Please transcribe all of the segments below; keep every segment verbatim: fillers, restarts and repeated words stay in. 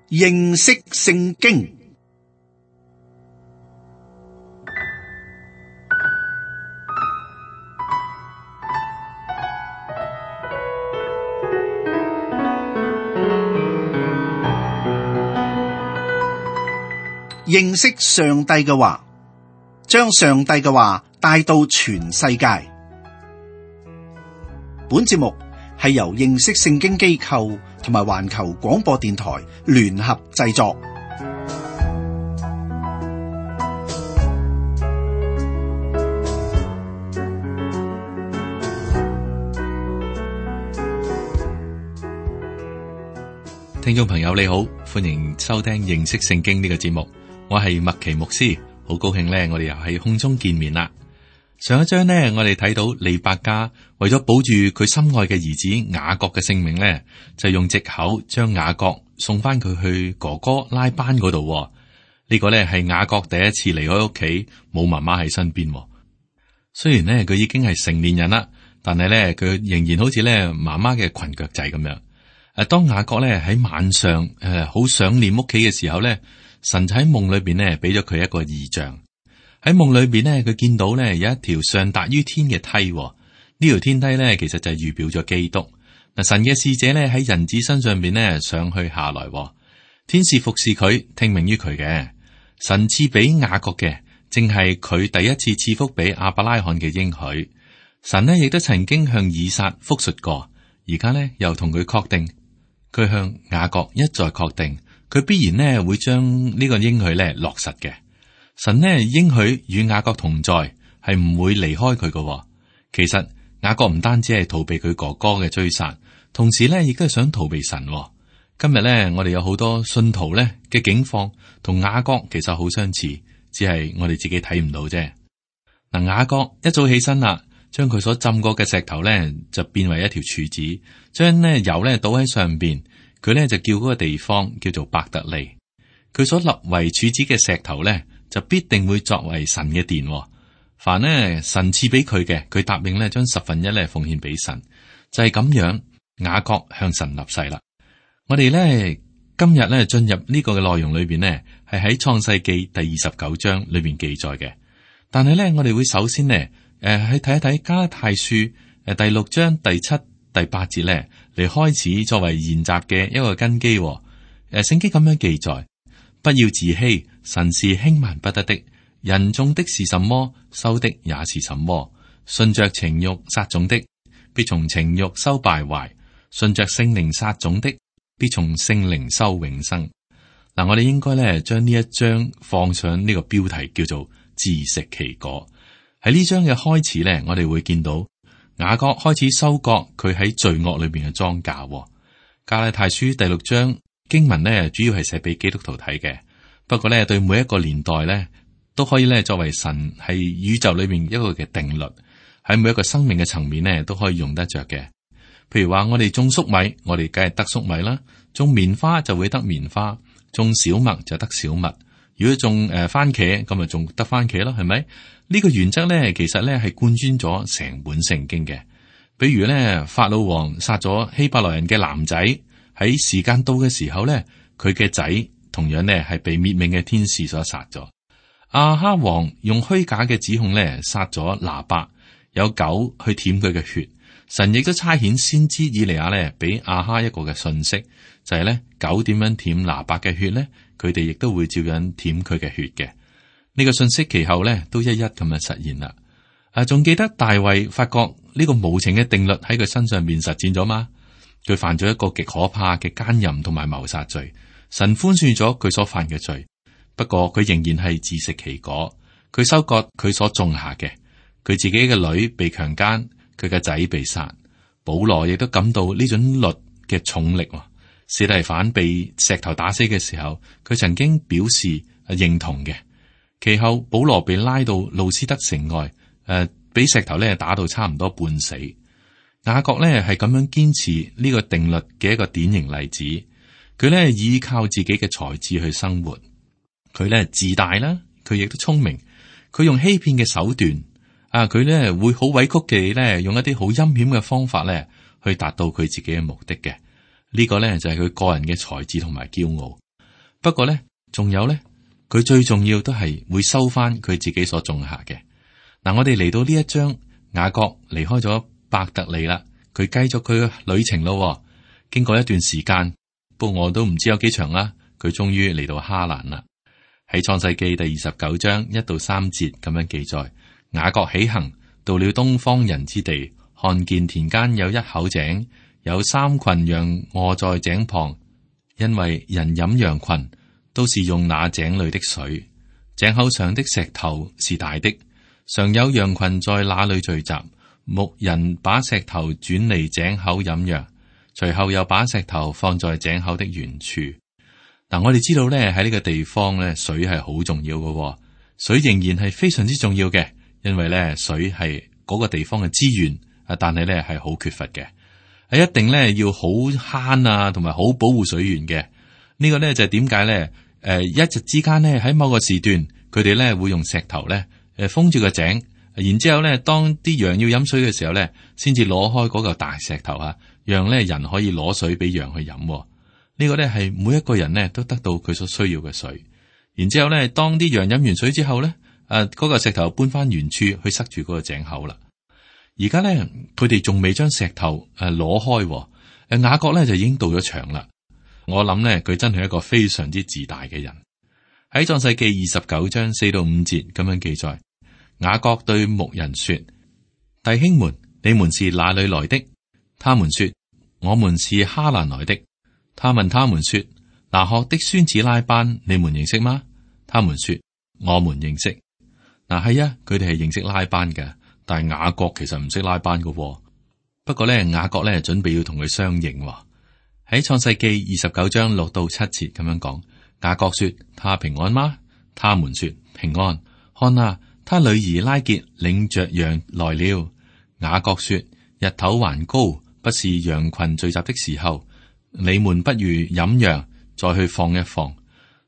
認識聖經。認識上帝嘅話，將上帝嘅話帶到全世界。本節目係由認識聖經機構同埋環球廣播電台聯合製作。聽眾朋友你好，歡迎收聽認識聖經呢個節目。我係麥奇牧師，好高興呢，我哋又喺空中見面啦。上一章呢，我哋睇到利百加為咗保住佢心愛嘅兒子雅各嘅性命呢，就用藉口將雅各送翻佢去哥哥拉班嗰度。呢、這個呢係雅各第一次離開屋企，冇媽媽喺身邊。雖然呢，佢已經係成年人啦，但係呢，佢仍然好似呢媽媽嘅裙腳仔咁樣。誒，當雅各呢喺晚上誒好想念屋企嘅時候呢，神就喺夢裏邊呢俾咗佢一個異象。喺夢裏邊呢，佢見到呢有一條上達於天嘅梯。呢條天梯呢，其實就係預表咗基督。嗱，神嘅使者呢喺人子身上邊呢上去下來，天使服侍佢，聽命於佢嘅。神賜俾雅各嘅，正係佢第一次賜福俾亞伯拉罕嘅應許。神呢亦都曾經向以撒復述過，而家呢又同佢確定。佢向雅各一再確定，佢必然呢會將呢個應許呢落實嘅。神呢應許與雅各同在，係唔會離開佢嘅。其實雅各唔單止係逃避佢哥哥嘅追殺，同時呢亦都係想逃避神。今日呢，我哋有好多信徒呢嘅境況，同雅各其實好相似，只係我哋自己睇唔到啫。嗱，雅各一早起身啦。將佢所浸過嘅石頭咧，就變為一條柱子，將呢油咧倒喺上邊，佢咧就叫嗰個地方叫做伯特利。佢所立為柱子嘅石頭咧，就必定會作為神嘅殿。凡呢神賜俾佢嘅，佢答應咧將十分一咧奉獻俾神，就係咁樣。雅各向神立誓啦。我哋咧今日咧進入呢個嘅內容裏邊呢，係喺創世記第二十九章裏邊記載嘅，但係咧我哋會首先呢。誒，去睇一睇加拉太書誒第六章第七、第八節咧，嚟開始作為研習嘅一個根基。誒，聖經咁樣記載：不要自欺，神是輕慢不得的。人種的是什麼，收的也是什麼。順着情欲撒種的，必從情欲收敗壞；順着聖靈撒種的，必從聖靈收永生。嗱，我哋應該咧將呢一章放上呢個標題，叫做自食其果。喺呢章嘅開始咧，我哋會見到雅各開始收割佢喺罪惡裏邊嘅莊稼。加拉太書第六章經文咧，主要係寫俾基督徒睇嘅。不過咧，對每一個年代咧，都可以咧作為神係宇宙裏邊一個嘅定律，喺每一個生命嘅層面咧都可以用得着嘅。譬如話我哋種粟米，我哋梗係得粟米啦；種棉花就會得棉花，種小麥就得小麥。如果種誒番茄，咁咪仲得番茄咯，係咪？呢個原則咧，其實咧係貫穿咗成本聖經嘅。比如咧，法老王殺咗希伯來人嘅男仔，喺時間到嘅時候咧，佢嘅仔同樣咧係被滅命嘅天使所殺咗。亞哈王用虛假嘅指控咧殺咗拿伯，有狗去舔佢嘅血。神亦都差遣先知以利亞咧俾亞哈一個嘅信息，就係咧狗點樣舔拿伯嘅血咧，佢哋亦都會照樣舔佢嘅血嘅。呢個信息其後咧都一一咁樣實現啦。啊，仲記得大衛發覺呢個無情嘅定律喺佢身上面實踐咗嗎？佢犯咗一個極可怕嘅奸淫同埋謀殺罪，神寬恕咗佢所犯嘅罪，不過佢仍然係自食其果。佢收割佢所種下嘅，佢自己嘅女被強姦，佢嘅仔被殺。保羅亦都感到呢種律嘅重力。司提反被石頭打死嘅時候，佢曾經表示認同嘅。其後保羅被拉到路斯德城外，誒、呃，俾石頭咧打到差唔多半死。雅各咧係咁樣堅持呢個定律嘅一個典型例子。佢咧依靠自己嘅才智去生活，佢咧自大啦，佢亦都聰明，佢用欺騙嘅手段，啊，佢咧會好委屈嘅咧，用一啲好陰險嘅方法咧去達到佢自己嘅目的嘅。呢個咧就係佢個人嘅才智同埋驕傲。不過咧，仲有咧，佢最重要都係會收翻佢自己所種下嘅。嗱，我哋嚟到呢一章，雅各離開咗伯特利啦，佢繼續佢嘅旅程咯。經過一段時間，不過我都唔知有幾長啦，佢終於嚟到哈蘭啦。喺創世記第二十九章一到三節咁樣記載，雅各起行，到了東方人之地，看見田間有一口井，有三群羊臥在井旁，因為人飲羊群都是用那井裏的水。井口上的石頭是大的，常有羊群在那裏聚集。牧人把石頭轉離井口飲羊，隨後又把石頭放在井口的原處。嗱，我哋知道咧，喺呢個地方咧，水係好重要嘅，水仍然係非常之重要嘅，因為咧水係嗰個地方嘅資源啊，但係咧係好缺乏嘅，係一定咧要好慳啊，同埋好保護水源嘅。呢個咧就係點解咧？誒，一日之間咧喺某個時段，佢哋咧會用石頭咧誒封住個井。然之後咧，當啲羊要飲水嘅時候咧，先至攞開嗰嚿大石頭啊，讓咧人可以攞水俾羊去飲。呢個咧係每一個人咧都得到佢所需要嘅水。然之後咧，當啲羊飲完水之後咧，誒嗰個石頭搬翻原處去塞住嗰個井口啦。而家咧，佢哋仲未將石頭誒攞開，誒雅各咧就已經到咗場啦。我諗咧，佢真係一個非常之自大嘅人。喺創世記二十九章四到五節咁樣記載。雅各對牧人說：弟兄們，你們是哪裏來的？他們說：我們是哈蘭來的。他問他們說：拿鶴的孫子拉班，你們認識嗎？他們說：我們認識。嗱，係啊，佢哋係認識拉班嘅，但係雅各其實唔識拉班嘅。不過咧，雅各咧準備要同佢相認。喺創世記二十九章六到七節咁樣講，雅各說：他平安嗎？他們說：平安。看啊！他女兒拉結領着羊來了。雅各說：日頭還高，不是羊群聚集的時候，你們不如飲羊，再去放一放。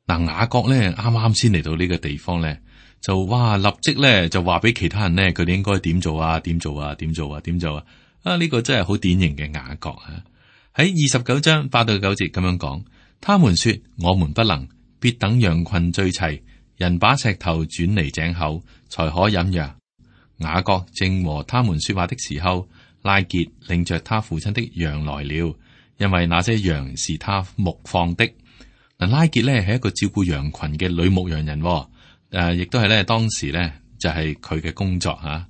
嗱，雅各咧啱啱先嚟到呢個地方咧，就哇立即咧就話俾其他人咧，佢哋應該點做啊？點做啊？點做啊？點做啊？啊呢、這個真係好典型嘅雅各啊！喺二十九章八到九節咁樣講，他們說：我們不能，必等羊群聚齊。人把石頭轉離井口，才可飲羊。雅各正和他們說話的時候，拉結領着他父親的羊來了，因為那些羊是他牧放的。嗱，拉結咧係一個照顧羊群嘅女牧羊人，誒、呃，亦都係咧當時咧就係佢嘅工作吓。誒、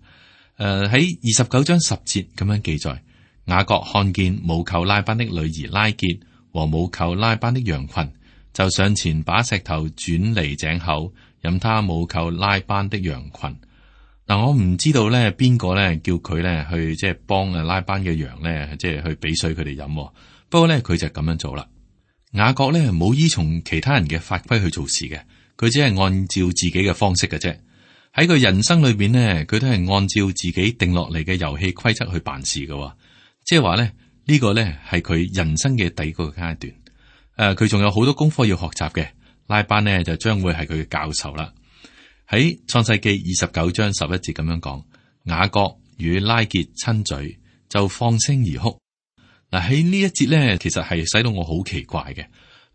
呃，喺二十九章十節咁樣記載，雅各看見母舅拉班的女兒拉結和母舅拉班的羊群，就上前把石頭轉離井口，飲他母舅拉班的羊群。嗱，我唔知道咧邊個咧叫佢咧去即係幫啊拉班嘅羊咧，即係去俾水佢哋飲。不過咧佢就咁樣做啦。雅各咧冇依從其他人嘅法規去做事嘅，佢只係按照自己嘅方式嘅啫。喺佢人生裏邊咧，佢都係按照自己定落嚟嘅遊戲規則去辦事嘅。即係話咧呢個咧係佢人生嘅第一個階段。誒，佢仲、呃、有好多功課要學習嘅，拉班呢就將會係佢嘅教授啦。喺創世記二十九章十一節咁樣講，雅各與拉結親嘴，就放聲而哭。嗱，喺呢一節咧，其實係使到我好奇怪嘅。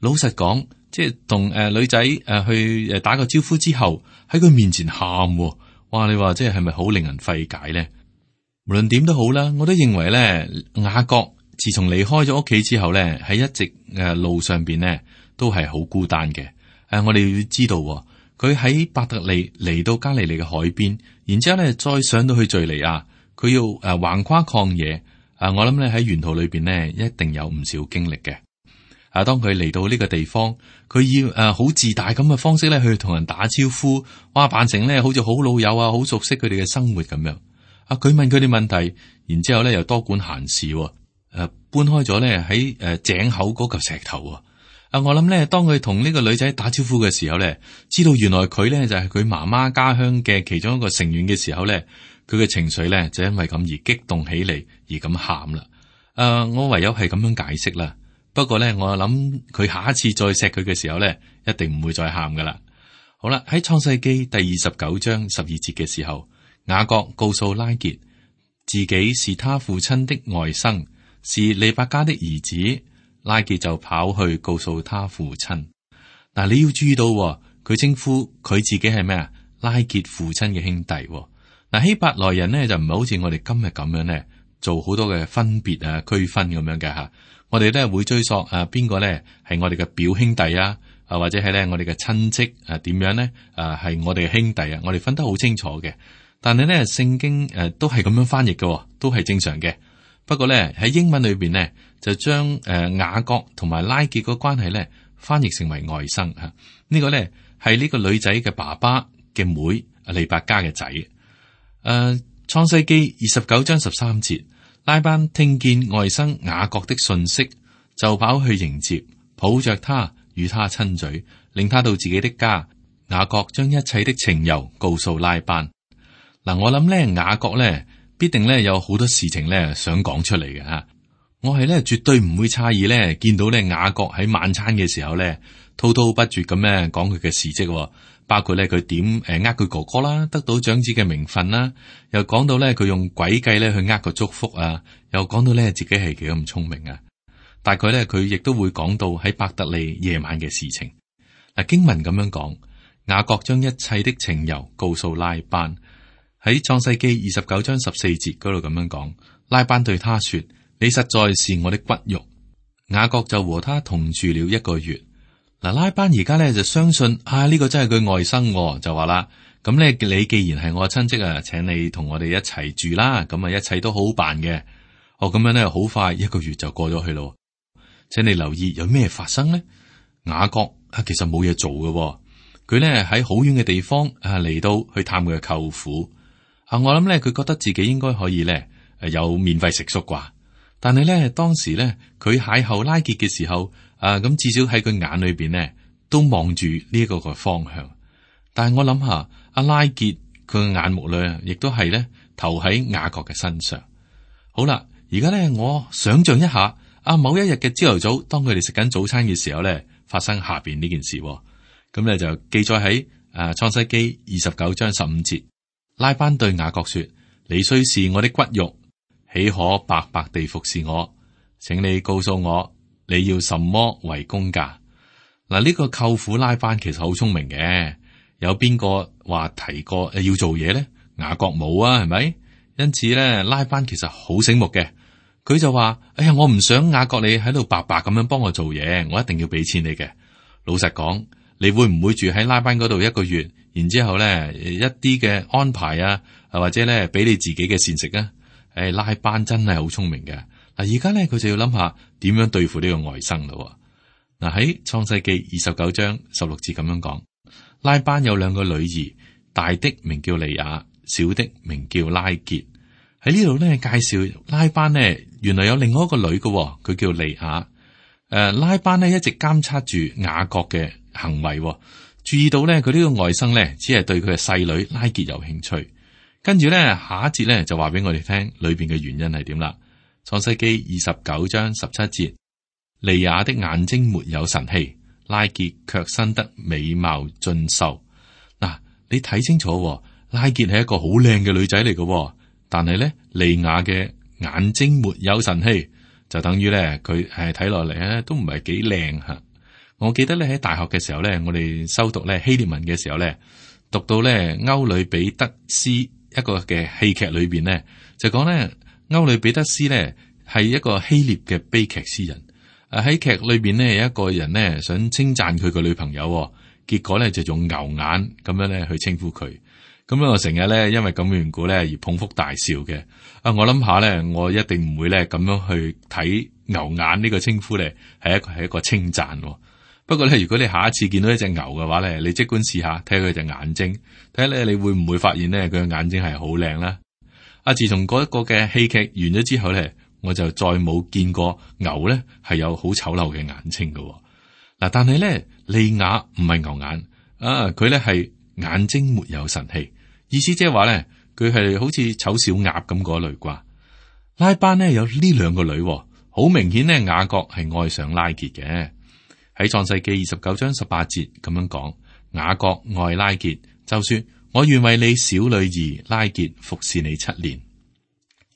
老實講，即係同誒女仔誒去誒打個招呼之後，喺佢面前喊，哇！你話即係係咪好令人費解咧？無論點都好啦，我都認為咧，雅各自從離開咗屋企之後咧，喺一直誒路上邊咧都係好孤單嘅。誒，我哋要知道，佢喺伯特利嚟到加利利嘅海邊，然之後咧再上到去敘利亞，佢要誒橫跨曠野。誒，我諗咧喺沿途裏邊咧一定有唔少經歷嘅。啊，當佢嚟到呢個地方，佢要誒好自大咁嘅方式咧去同人打招呼，哇，扮成咧好似好老友啊，好熟悉佢哋嘅生活咁樣。啊，佢問佢哋問題，然之後咧又多管閒事，誒、啊，搬開咗咧喺誒井口嗰嚿石頭啊。啊，我諗咧當佢同呢個女仔打招呼嘅時候咧，知道原來佢咧就係佢媽媽家鄉嘅其中一個成員嘅時候咧，佢嘅情緒咧就因為咁而激動起嚟，而咁喊啦。誒、啊，我唯有係咁樣解釋啦。不過咧，我諗佢下一次再錫佢嘅時候咧，一定唔會再喊噶啦。好啦，喺創世記第二十九章十二節嘅時候，雅各告訴拉結自己是他父親的外甥，是利百加的兒子。拉結就跑去告訴他父親。嗱，你要注意到佢稱呼佢自己係咩啊？拉結父親嘅兄弟。嗱，希伯來人呢，就唔係好似我哋今日咁樣咧，做好多嘅分別啊、區分咁樣嘅吓。我哋咧會追溯啊，邊個咧係我哋嘅表兄弟啊，啊或者係咧我哋嘅親戚啊，點樣咧啊係我哋嘅兄弟啊，我哋分得好清楚嘅。但係咧聖經誒都係咁樣翻譯嘅，都係正常嘅。不過咧喺英文裏邊咧就將誒雅各同埋拉結個關係咧翻譯成為外甥吓。呢個咧係呢個女仔嘅爸爸嘅妹利百加嘅仔。誒、呃，創世記二十九章十三節，拉班聽見外甥雅各的訊息，就跑去迎接，抱着他與他親嘴，領他到自己的家。雅各將一切的情由告訴拉班。嗱，我諗咧雅各咧必定咧有好多事情咧想講出嚟嘅吓。我係咧絕對唔會詫異咧見到咧雅各喺晚餐嘅時候咧滔滔不絕咁咧講佢嘅事蹟。包括咧佢點誒呃佢哥哥啦，得到長子嘅名分啦，又講到咧佢用詭計咧去呃個祝福啊，又講到咧自己係幾咁聰明啊。大概咧佢亦都會講到喺伯特利夜晚嘅事情。嗱，經文咁樣講，雅各將一切的情由告訴拉班。喺創世記二十九章十四節嗰度咁樣講，拉班對他說：你實在是我的骨肉。雅各就和他同住了一個月。嗱，拉班而家咧就相信啊，呢、這個真係佢外甥、哦，就話啦，咁咧你既然係我親戚啊，請你同我哋一齊住啦，咁啊一切都好好辦嘅。哦，咁樣咧好快一個月就過咗去咯。請你留意有咩發生呢？雅各啊，其實冇嘢做嘅、哦，佢咧喺好遠嘅地方啊嚟到去探佢嘅舅父啊。我諗咧佢覺得自己應該可以咧誒有免費食宿啩，但係咧當時咧佢邂逅拉結嘅時候。啊，咁至少喺佢眼裏邊呢，都望住呢一個個方向。但係我諗下，阿拉結佢嘅眼目咧，亦都係咧投喺雅各嘅身上。好啦，而家咧我想象一下，啊某一日嘅朝頭早，當佢哋食緊早餐嘅時候咧，發生下邊呢件事。咁咧就記載喺誒創世記二十九章十五節，拉班對雅各說：你雖是我的骨肉，豈可白白地服侍我？請你告訴我。你要什麼為工價？嗱，呢個舅父拉班其實好聰明嘅。有邊個話提過誒要做嘢咧？雅各冇啊，係咪？因此咧，拉班其實好醒目嘅。佢就話：哎呀，我唔想雅各你喺度白白咁樣幫我做嘢，我一定要俾錢你嘅。老實講，你會唔會住喺拉班嗰度一個月？然之後咧一啲嘅安排啊，或者咧俾你自己嘅膳食啊？誒，拉班真係好聰明嘅。嗱，而家咧佢就要諗下點樣對付呢個外甥咯。嗱，喺創世記二十九章十六節咁樣講，拉班有兩個女兒，大的名叫利亞，小的名叫拉結。喺呢度咧介紹拉班呢，原來有另外一個女嘅，佢叫利亞。誒、呃，拉班呢一直監察住雅各嘅行為，注意到咧佢呢個外甥咧只係對佢嘅細女拉結有興趣。跟住咧下一節咧就話俾我哋聽裏邊嘅原因係點啦。創世記二十九章十七節，利亞的眼睛沒有神氣，拉結卻生得美貌俊秀。嗱、啊，你睇清楚，拉結係一個好靚嘅女仔嚟嘅，但係咧利亞嘅眼睛沒有神氣，就等於咧佢係睇落嚟咧都唔係幾靚吓。我記得咧喺大學嘅時候咧，我哋修讀咧希臘文嘅時候咧，讀到咧歐里彼得斯一個嘅戲劇裏邊咧，就講咧。歐里彼得斯咧係一個希臘嘅悲劇詩人，誒喺劇裏邊呢，有一個人呢想稱讚佢個女朋友，結果咧就用牛眼咁樣咧去稱呼佢，咁樣我成日咧因為咁嘅緣故咧而捧腹大笑嘅。啊，我諗下咧，我一定唔會咧咁樣去睇牛眼呢個稱呼咧係一個係一個稱讚。不過咧，如果你下一次見到一隻牛嘅話咧，你即管試下睇下佢隻眼睛，睇下咧你會唔會發現咧佢嘅眼睛係好靚啦。啊！自從嗰一個嘅戲劇完咗之後咧，我就再冇見過牛咧係有好醜陋嘅眼睛嘅。嗱，但係咧利亞唔係牛眼啊，佢咧係眼睛沒有神氣，意思即係話咧佢係好似醜小鴨咁嗰類啩。拉班咧有呢兩個女，好明顯咧雅各係愛上拉結嘅。喺創世記二十九章十八節咁樣講，雅各愛拉結，就說。我願為你小女兒拉結服侍你七年。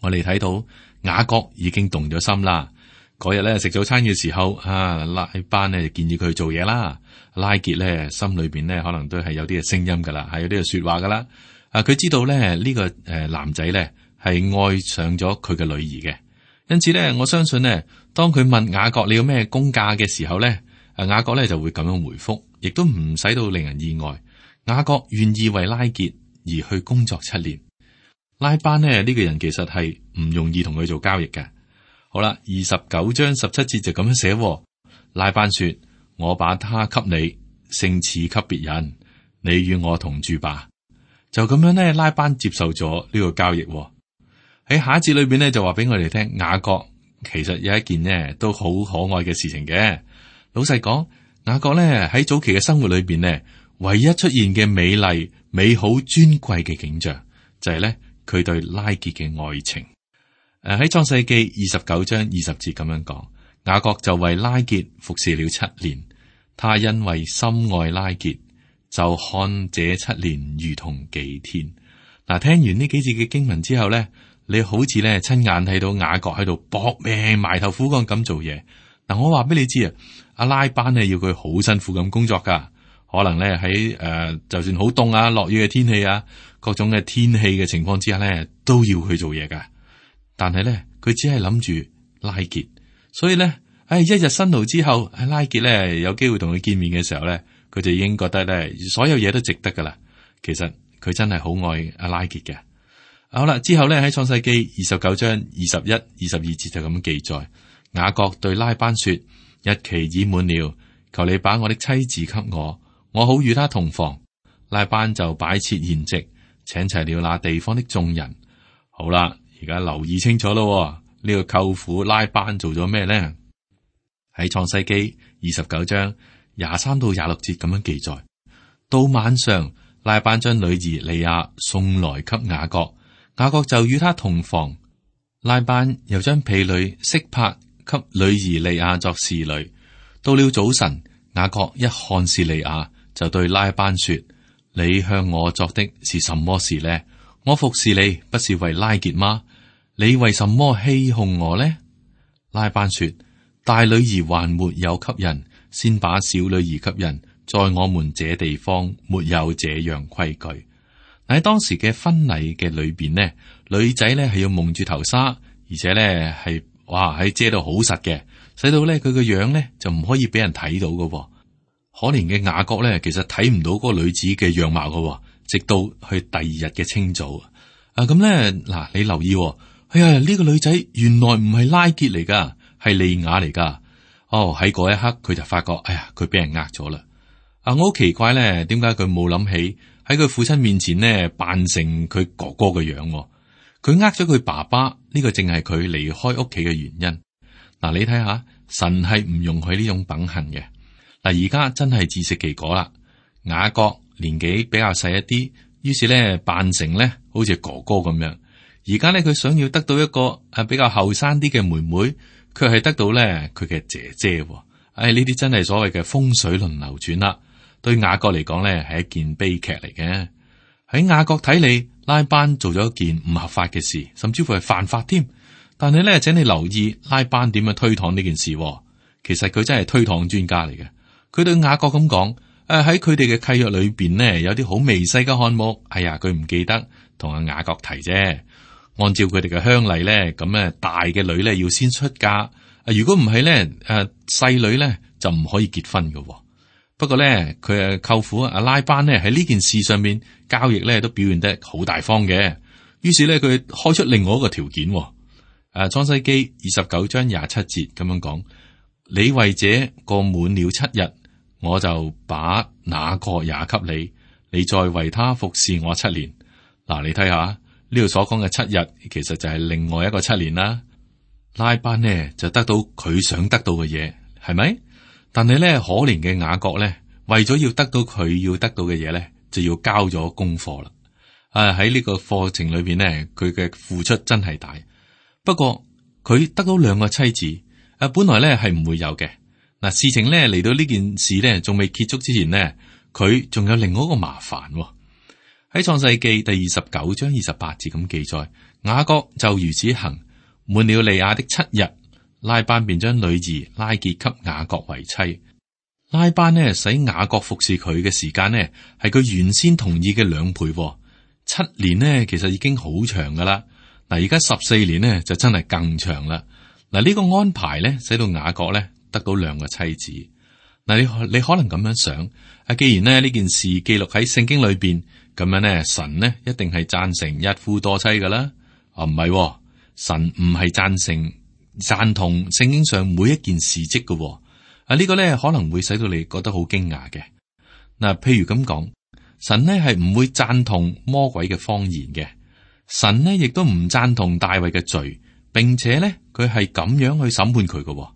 我哋睇到雅各已經動咗心啦，嗰日咧食早餐嘅時候，啊拉班咧就建議佢去做嘢啦。拉結咧心裏邊咧可能都係有啲嘅聲音噶啦，係有啲嘅說話噶啦。啊，佢知道咧呢個誒男仔咧係愛上咗佢嘅女兒嘅，因此咧我相信咧，當佢問雅各你有咩工價嘅時候咧，啊雅各咧就會咁樣回覆，亦都唔使到令人意外。雅各願意為拉結而去工作七年。拉班呢，呢、這個人其實係唔容易同佢做交易嘅。好啦，二十九章十七節就咁樣寫。拉班說：我把他給你，勝似給別人，你與我同住吧。就咁樣呢，拉班接受咗呢個交易。喺下一節裏邊呢，就話俾我哋聽，雅各其實有一件呢都好可愛嘅事情嘅。老實講，雅各呢喺早期嘅生活裏邊呢，唯一出現嘅美麗、美好、尊貴嘅景象，就係呢佢對拉結嘅愛情。誒，喺創世記二十九章二十節咁樣講，雅各就為拉結服侍了七年。他因為深愛拉結，就看這七年如同幾天。嗱，聽完呢幾節嘅經文之後咧，你好似咧親眼睇到雅各喺度搏命埋頭苦幹咁做嘢。嗱，我話俾你知啊，阿拉班咧要佢好辛苦咁工作噶，可能咧喺誒，就算好凍啊、落雨嘅天氣啊，各種嘅天氣嘅情況之下咧，都要去做嘢噶。但係咧，佢只係諗住拉結，所以咧，唉，一日辛勞之後，拉結咧有機會同佢見面嘅時候咧，佢就已經覺得咧，所有嘢都值得噶啦。其實佢真係好愛阿拉結嘅。好啦，之後咧喺創世記二十九章二十一、二十二節就咁記載，雅各對拉班說：日期已滿了，求你把我的妻子給我，我好與他同房。拉班就擺設筵席，請齊了那地方的眾人。好啦。而家留意清楚咯，呢、這個舅父拉班做咗咩咧？喺創世記二十九章廿三到廿六節咁樣記載。到晚上，拉班將女兒利亞送來給雅各，雅各就與他同房。拉班又將婢女悉帕給女兒利亞作侍女。到了早晨，雅各一看是利亞，就對拉班說：你向我作的是什麼事呢？我服侍你不是為拉結嗎？你為什麼欺哄我呢？拉班說：大女兒還沒有給人，先把小女兒給人，在我們這地方沒有這樣規矩。喺當時嘅婚禮嘅裏邊呢，女仔咧係要蒙住頭紗，而且咧係哇喺遮到好實嘅，使到咧佢個樣咧就唔可以俾人睇到噶。可憐嘅雅各咧，其實睇唔到嗰個女子嘅樣貌噶。直到去第二日嘅清早啊，咁咧嗱，你留意，哎呀，呢、這個女仔原來唔係拉結嚟噶，係利亞嚟噶。哦，喺嗰一刻佢就發覺，哎呀，佢俾人呃咗啦。啊，我好奇怪咧，點解佢冇諗起喺佢父親面前呢扮成佢哥哥嘅樣？佢呃咗佢爸爸，呢、這個正係佢離開屋企嘅原因。嗱、啊，你睇下，神係唔容許呢種品行嘅。嗱，而家真係自食其果啦，雅各年紀比較細一啲，於是咧扮成咧好似哥哥咁樣。而家咧佢想要得到一個誒比較後生啲嘅妹妹，卻係得到咧佢嘅姐姐。唉，呢啲真係所謂嘅風水輪流轉啦。對雅各嚟講咧係一件悲劇嚟嘅。喺雅各睇嚟，拉班做咗一件唔合法嘅事，甚至乎係犯法添。但係咧，請你留意拉班點樣推搪呢件事。其實佢真係推搪專家嚟嘅。佢對雅各咁講。誒，喺佢哋嘅契約裏邊呢，有啲好微細嘅項目，哎呀，佢唔記得同阿雅各提啫。按照佢哋嘅鄉例咧，咁咧大嘅女咧要先出嫁，啊，如果唔係咧，誒細女咧就唔可以結婚嘅。不過咧，佢誒舅父阿拉班咧喺呢件事上面交易咧都表現得好大方嘅。於是咧，佢開出另外一個條件。誒，創世記二十九章廿七節咁樣講：你為這過滿了七日。我就把那個也給你，你再為他服侍我七年。嗱，你睇下呢度所講嘅七日，其實就係另外一個七年啦。拉班呢就得到佢想得到嘅嘢，係咪？但係咧可憐嘅雅各咧，為咗要得到佢要得到嘅嘢咧，就要交咗功課啦。啊，喺呢個課程裏邊咧，佢嘅付出真係大。不過佢得到兩個妻子，啊，本來咧係唔會有嘅。嗱，事情咧嚟到呢件事咧，仲未結束之前呢，佢仲有另外一個麻煩喎。喺創世記第二十九章二十八節咁記載，雅各就如此行，滿了利亞的七日，拉班便將女兒拉結給雅各為妻。拉班呢使雅各服侍佢嘅時間呢係佢原先同意嘅兩倍，七年呢其實已經好長噶啦。嗱，而家十四年呢就真係更長啦。嗱，呢個安排呢使到雅各呢得到兩個妻子。嗱，你你可能咁樣想，啊，既然呢呢件事記錄喺聖經裏邊，咁樣呢神呢一定係贊成一夫多妻噶啦。啊，唔係，神唔係贊成贊同聖經上每一件事蹟嘅。啊，呢個呢可能會使到你覺得好驚訝嘅。嗱，譬如咁講，神呢係唔會贊同魔鬼嘅謊言嘅，神呢亦都唔贊同大衛嘅罪，並且呢佢係咁樣去審判佢嘅。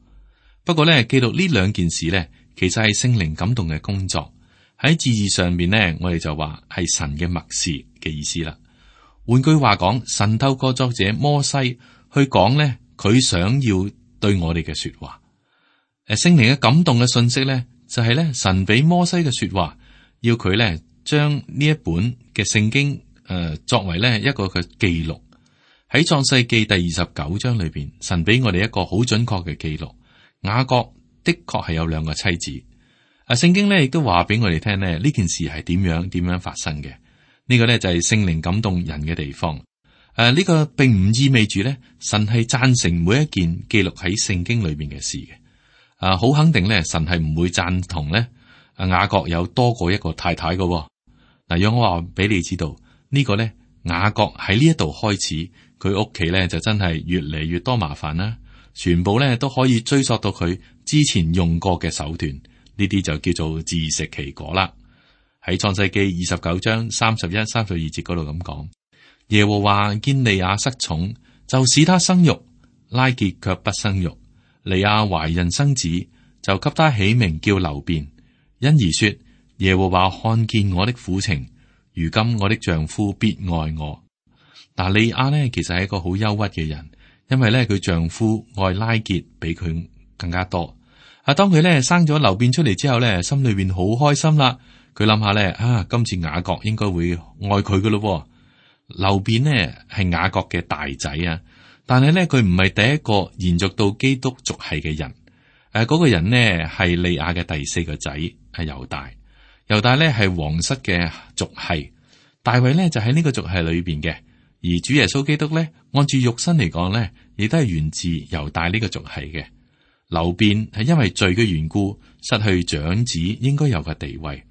不過呢，記錄呢兩件事呢，其實係聖靈感動嘅工作。喺字義上面呢，我哋就話係神嘅默示嘅意思啦。換句話講，神透過作者摩西去講呢，佢想要對我哋嘅說話。誒，聖靈嘅感動嘅信息咧，就係咧神俾摩西嘅說話，要佢咧將呢一本嘅聖經誒、呃、作為咧一個嘅記錄。喺創世記第二十九章裏邊，神俾我哋一個好準確嘅記錄。雅各的確係有兩個妻子。啊，聖經咧亦都話俾我哋聽咧，呢件事係點樣點樣發生嘅。呢、這個咧就係聖靈感動人嘅地方。誒、啊，呢、這個並唔意味住咧神係贊成每一件記錄喺聖經裏邊嘅事嘅。啊，好肯定咧，神係唔會贊同咧。啊，雅各有多過一個太太嘅。嗱，讓我話俾你知道，這個、呢個咧雅各喺呢一度開始，佢屋企咧就真係越嚟越多麻煩啦。全部咧都可以追溯到佢之前用過嘅手段，呢啲就叫做自食其果啦。喺創世記二十九章三十一、三十二節嗰度咁講，耶和華見利亞失寵，就使他生育，拉結卻不生育。利亞懷孕生子，就給他起名叫流便，因而說：耶和華看見我的苦情，如今我的丈夫必愛我。嗱，利亞呢其實係一個好憂鬱嘅人，因為咧佢丈夫愛拉結比佢更加多。啊，當佢咧生咗流便出嚟之後咧，心裏邊好開心啦。佢諗下咧，啊，今次雅各應該會愛佢噶咯。流便呢係雅各嘅大仔啊。但係咧，佢唔係第一個延續到基督族系嘅人。誒、啊，嗰、那個人呢係利亞嘅第四個仔，係猶大。猶大咧係皇室嘅族系，大衛呢就喺呢個族系裏邊嘅。而主耶穌基督咧，按住肉身嚟講咧，亦都係源自猶大呢個族系嘅。流便係因為罪嘅緣故，失去長子應該有嘅地位。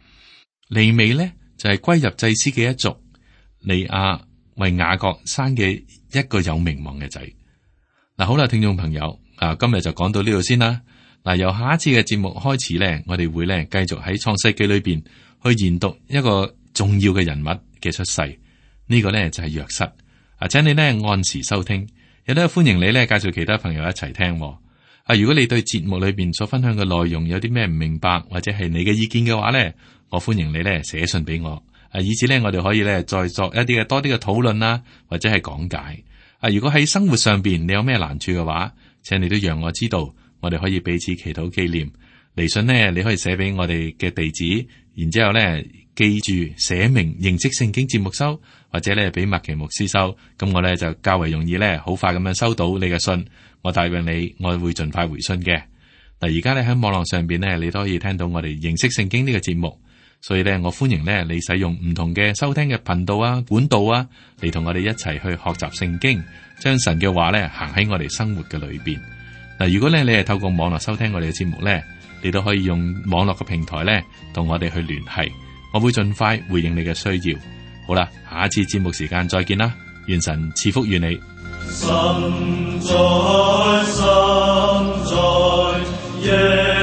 利未呢就係、是、歸入祭司嘅一族。利亞為雅各生嘅一個有名望嘅仔。嗱，好啦，聽眾朋友，啊，今日就講到呢度先啦。嗱，由下一次嘅節目開始咧，我哋會咧繼續喺創世記裏邊去研讀一個重要嘅人物嘅出世。呢、這個咧就係約瑟。啊，請你咧按時收聽，亦都歡迎你咧介紹其他朋友一齊聽。啊，如果你對節目裏邊所分享嘅內容有啲咩唔明白，或者係你嘅意見嘅話咧，我歡迎你咧寫信俾我。啊，以至咧，我哋可以咧再作一啲嘅多啲嘅討論啦，或者係講解。啊，如果喺生活上邊你有咩難處嘅話，請你都讓我知道，我哋可以彼此祈禱紀念。嚟信呢，你可以寫俾我哋嘅地址，然之後咧記住寫明認識聖經節目收，或者咧俾麥奇牧師收。咁我咧就較為容易咧，好快咁樣收到你嘅信。我答應你，我會盡快回信嘅。嗱，而家咧喺網絡上邊咧，你都可以聽到我哋認識聖經呢個節目。所以咧，我歡迎咧你使用唔同嘅收聽嘅頻道啊、管道啊，嚟同我哋一齊去學習聖經，將神嘅話咧行喺我哋生活嘅裏邊。嗱，如果咧你係透過網絡收聽我哋嘅節目咧，你都可以用網絡嘅平台咧同我哋去聯繫，我會盡快回應你嘅需要。好啦，下一次節目時間再見啦，願神賜福於你。神在，神在，耶